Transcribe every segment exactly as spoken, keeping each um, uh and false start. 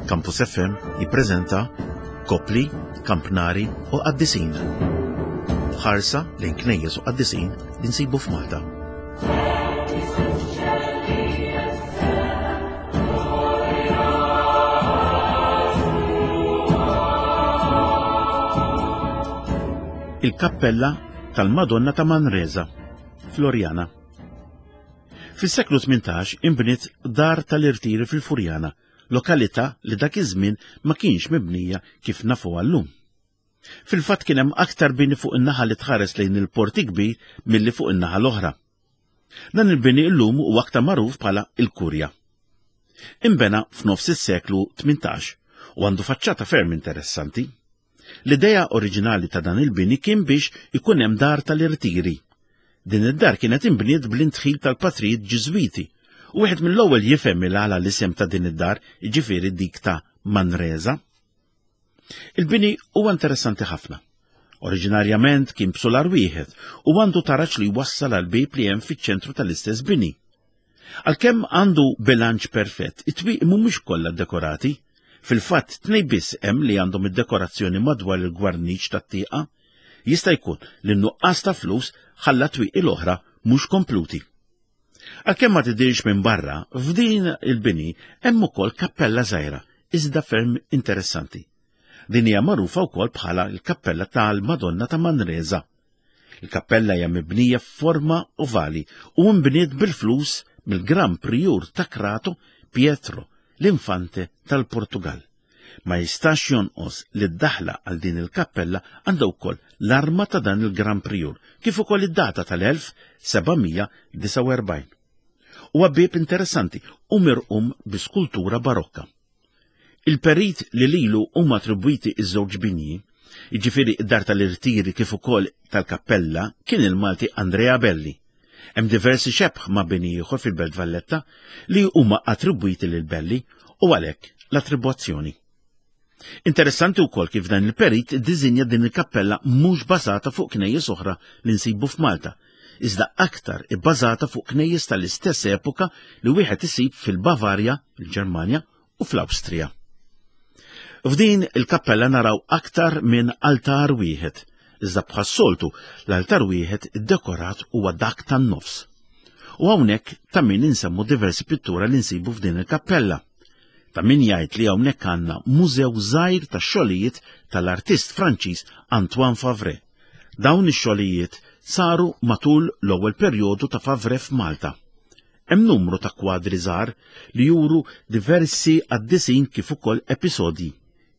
Campus F M jippreżenta Kopli, Kampnari u Qaddisin. Ħarsa lejn knejjes u qaddisin li nsibu f'Malta. Il-Kappella tal-Madonna ta' Manresa, Floriana. Fis-seklu tmintax inbniet dar tal-irtiri fil-Furjana, lokalità li dak iż-żmien ma kienx mibnija kif nafuha llum. Fil-fatt kien hemm aktar bini fuq in-naħa li tħares lejn il-Port Kbir milli fuq in-naħa l-oħra. Dan il-bini llum huwa aktar magħruf bħala il-Kurja. Inbena f'nofs is-seklu tmintax u għandu faċċata ferm interessanti. L-idea oriġinali ta' dan il-bini kien biex ikun hemm dar tal-irtiri. Din id-dar kienet inbniet bl-intħil tal-patrijiet Ġiżwiti u wieħed mill-ewwel jifhem il-għala l-isem ta' din id-dar, jiġifieri dik ta' Manresa. Il-bini huwa interessanti ħafna. Oriġinarjament kien b'sular wieħed u għandu taraġ li jwassal għal bieb li hemm fiċ-ċentru tal-istess bini. Għalkemm għandu bilanċ perfett, it-twieqi mhumiex kollha dekorati. Fil-fatt tnej biss hemm li għandhom id-dekorazzjoni madwar il-gwarniċ tat-tieqa. Jista' jkun li n-nuqqas ta' flus ħalla twieqi l-oħra mhux kompluti. Għalkemm ma tidirx minn barra, f'din il-bini hemm ukoll kappella żgħira, iżda ferm interessanti. Din hija magħrufa wkoll bħala l-Kappella tal-Madonna ta' Manresa. Il-kappella hija mibnija f'forma ovali u nbniet bil-flus mill-Gran Priur ta' Crato Pietro, l-Infante tal-Portugal. Ma jistax jonqos li d-daħla għal din il-kappella għandha wkoll l-arma ta' dan il-Gran Priur, kif ukoll id-data tal-elf seba' mija disgħa u erbgħin. Huwa bieb interessanti u mirqum bi skultura barokka. Il-perit li lilu huma attribwiti iż-żewġ binji, jiġifieri id-dar tal-irtiri kif ukoll tal-kappella, kien il-Malti Andrea Belli. Hemm diversi xebh ma' bini ieħor fil-Belt Valletta li huma attribwiti lil Belli u għalhekk l-attribwazzjoni. Interessanti wkoll kif dan il-perit iddiżinja din il-kappella mhux bażata fuq knejjes oħra li nsibu f'Malta, iżda aktar ibbażata fuq knejjes tal-istess epoka li wieħed isib fil-Bavarja, il-Ġermanja u fl-Awstrija. F'din il-kappella naraw aktar minn altar wieħed, iżda bħas-soltu l-altar wieħed iddekorat huwa dak tan-nofs. U hawnhekk ta' min insemmu diversi pittura li nsibu f'din il-kappella. Ta' min jgħid li hawnhekk għandna mużew żgħir ta' xogħlijiet tal-artist Franċiż Antoine Favre. Dawn ix-xogħlijiet saru matul l-ewwel perjodu ta' Favre f'Malta. Hemm numru ta' kwadri żgħar li juru diversi qaddisin kif ukoll episodji.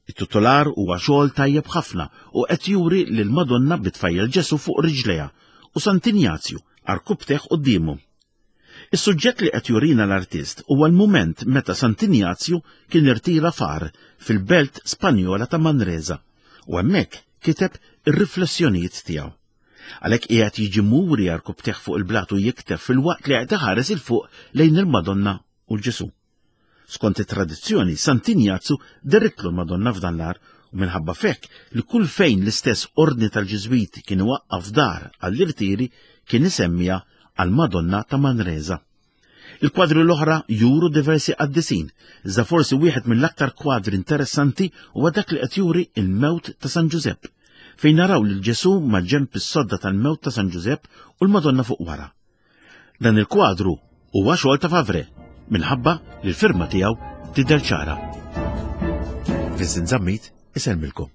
It-titular huwa xogħol tajjeb ħafna u qed juri lil Madonna bit-tfajjel Ġesu fuq riġlejha u Sant'Injazju arkubteh quddiemu. Is-suġġett li qed jurina l-artist huwa l-mument meta Sant'Injazju kien irtira far fil-belt Spanjola ta' Manresa u hemmhekk kiteb ir-riflessjonijiet tiegħu. Għalhekk qiegħed jiġi muri arkubteh fuq il-blat u jikteb fil-waqt li qed iħares il fuq lejn il-Madonna u l-Ġesu. Skont it-tradizzjoni, Sant'Injazju derritlu l-Madonna f'dan l-għar u minħabba fekk li kull fejn l-istess ordni tal-Ġiżwiti kien iwaqqaf dar għall-irtiri kien isemmija għall-Madonna ta' Manresa. Il-kwadri l-oħra juru diversi qaddisin, iżda forsi wieħed mill-aktar kwadri interessanti huwa dak li qed juri il-mewt ta' San Ġużepp, fejn naraw lil Ġesu ma' ġenb is-sodda tal-mewt ta' San Ġużepp u l-Madonna fuq wara. Dan il-kwadru huwa xogħol ta' Favre, minħabba li l-firma tiegħu tidher ċara. Vincent Zammit isellmilkom.